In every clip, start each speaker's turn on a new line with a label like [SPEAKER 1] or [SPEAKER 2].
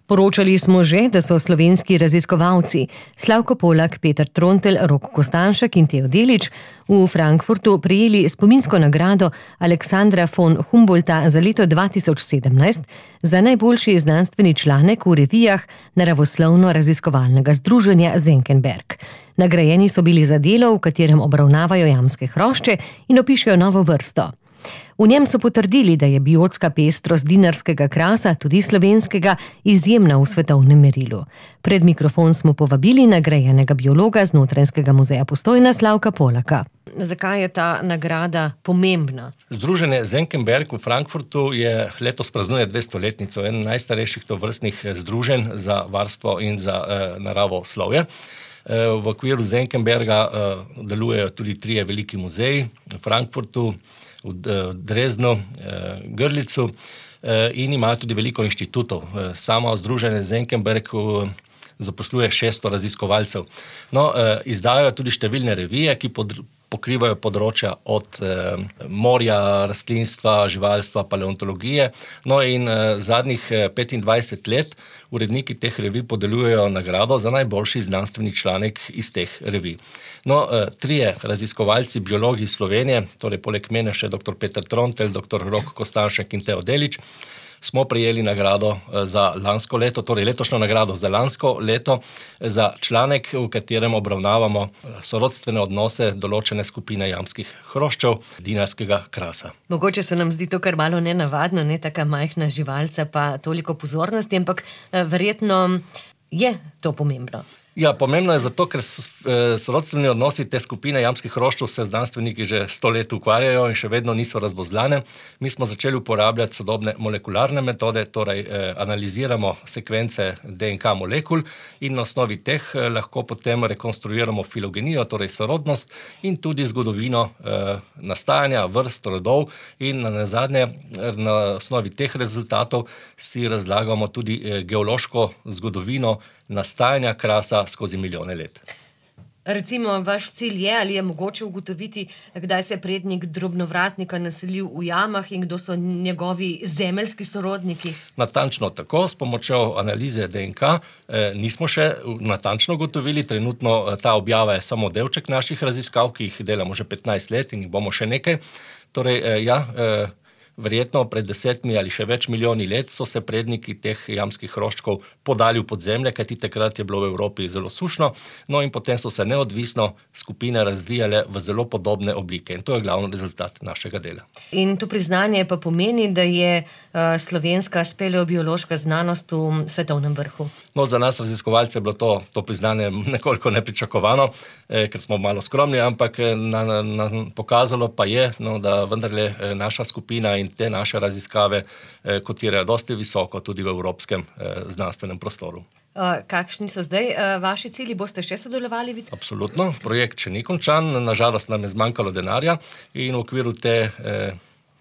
[SPEAKER 1] Poročali smo že, da so slovenski raziskovalci Slavko Polak, Peter Trontelj, Rok Kostanšek in Teo Delić v Frankfurtu prejeli spominsko nagrado Aleksandra von Humboldta za leto 2017 za najboljši znanstveni članek v revijah Naravoslovno-raziskovalnega združenja Senckenberg. Nagrajeni so bili za delo, v katerem obravnavajo jamske hrošče in opišejo novo vrsto. V njem so potrdili, da je biotska pestrost dinarskega krasa, tudi slovenskega, izjemna v svetovnem merilu. Pred mikrofon smo povabili nagrajenega biologa z Notranjskega muzeja Postojna Slavka Polaka. Zakaj je ta nagrada pomembna?
[SPEAKER 2] Združenje Senckenberg v Frankfurtu je letos praznuje 200-letnico, eden najstarejših tovrstnih združenj za varstvo in za naravoslovje. V okviru Senckenberga delujejo tudi 3 veliki muzeji v Frankfurtu, v Dresdnu, Grlicu in imajo tudi veliko inštitutov. Samo združenje Senckenberg zaposluje 600 raziskovalcev. Izdajajo tudi številne revije, ki pokrivajo področja od morja, rastlinstva, živalstva, paleontologije. In zadnjih 25 let uredniki teh revij podeljujejo nagrado za najboljši znanstveni članek iz teh revij. 3 raziskovalci, biologi iz Slovenije, torej poleg mene še dr. Peter Trontelj, dr. Rok Kostanšek in Teo Delić, smo prejeli nagrado za lansko leto, torej letošnjo nagrado za lansko leto, za članek, v katerem obravnavamo sorodstvene odnose določene skupine jamskih hroščev dinarskega krasa.
[SPEAKER 1] Mogoče se nam zdi to kar malo nenavadno, taka majhna živalca pa toliko pozornosti, ampak verjetno je to pomembno.
[SPEAKER 2] Ja, pomembno je zato, ker sorodstveni odnosi te skupine jamskih hroščev se znanstveniki že 100 let ukvarjajo in še vedno niso razvozlane. Mi smo začeli uporabljati sodobne molekularne metode, torej analiziramo sekvence DNK molekul in na osnovi teh lahko potem rekonstruiramo filogenijo, torej sorodnost in tudi zgodovino nastajanja vrst, rodov in nazadnje na osnovi teh rezultatov si razlagamo tudi geološko zgodovino nastajanja krasa skozi milijone let.
[SPEAKER 1] Recimo, vaš cilj je, ali je mogoče ugotoviti, kdaj se je prednik drobnovratnika naselil v jamah in kdo so njegovi zemeljski sorodniki?
[SPEAKER 2] Natančno tako, s pomočjo analize DNK nismo še natančno ugotovili. Trenutno ta objava je samo delček naših raziskav, ki jih delamo že 15 let in jih bomo še nekaj. Verjetno pred 10 ali še več milijoni let so se predniki teh jamskih hroščkov podali v podzemlje, kajti takrat je bilo v Evropi zelo sušno, in potem so se neodvisno skupine razvijale v zelo podobne oblike in to je glavni rezultat našega dela. In
[SPEAKER 1] to priznanje pa pomeni, da je slovenska speleobiološka znanost v svetovnem vrhu?
[SPEAKER 2] Za nas raziskovalce je bilo to priznanje nekoliko nepričakovano, ker smo malo skromni, ampak pokazalo pa je, da vendarle naša skupina in te naše raziskave kotirajo dosti visoko tudi v evropskem znanstvenem prostoru.
[SPEAKER 1] Kakšni so zdaj vaši cilji? Boste še sodelovali?
[SPEAKER 2] Absolutno. Projekt še ni končan. Nažalost nam je zmanjkalo denarja in v okviru te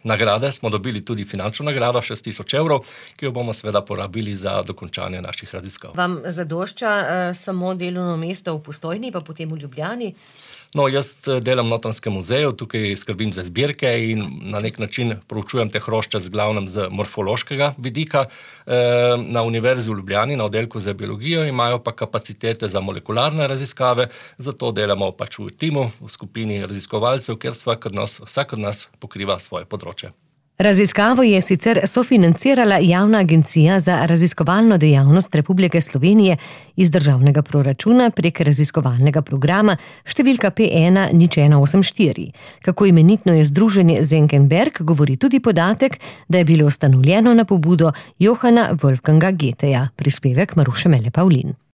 [SPEAKER 2] nagrade smo dobili tudi finančno nagrado 6.000 evrov, ki jo bomo seveda porabili za dokončanje naših raziskav.
[SPEAKER 1] Vam zadošča samo delovno mesto v Postojni, pa potem v Ljubljani?
[SPEAKER 2] Jaz delam v Notranjskem muzeju, tukaj skrbim za zbirke in na nek način proučujem te hrošče z glavnem z morfološkega vidika. Na Univerzi v Ljubljani, na oddelku za biologijo, imajo pa kapacitete za molekularne raziskave, zato delamo pač v timu, v skupini raziskovalcev, ker vsak od nas pokriva svoje področje.
[SPEAKER 1] Raziskavo je sicer sofinancirala Javna agencija za raziskovalno dejavnost Republike Slovenije iz državnega proračuna prek raziskovalnega programa številka P10184. Kako imenitno je združenje Senckenberg, govori tudi podatek, da je bilo ustanovljeno na pobudo Johana Wolfganga Goetheja. Prispevek Maruše Mele Pavlin.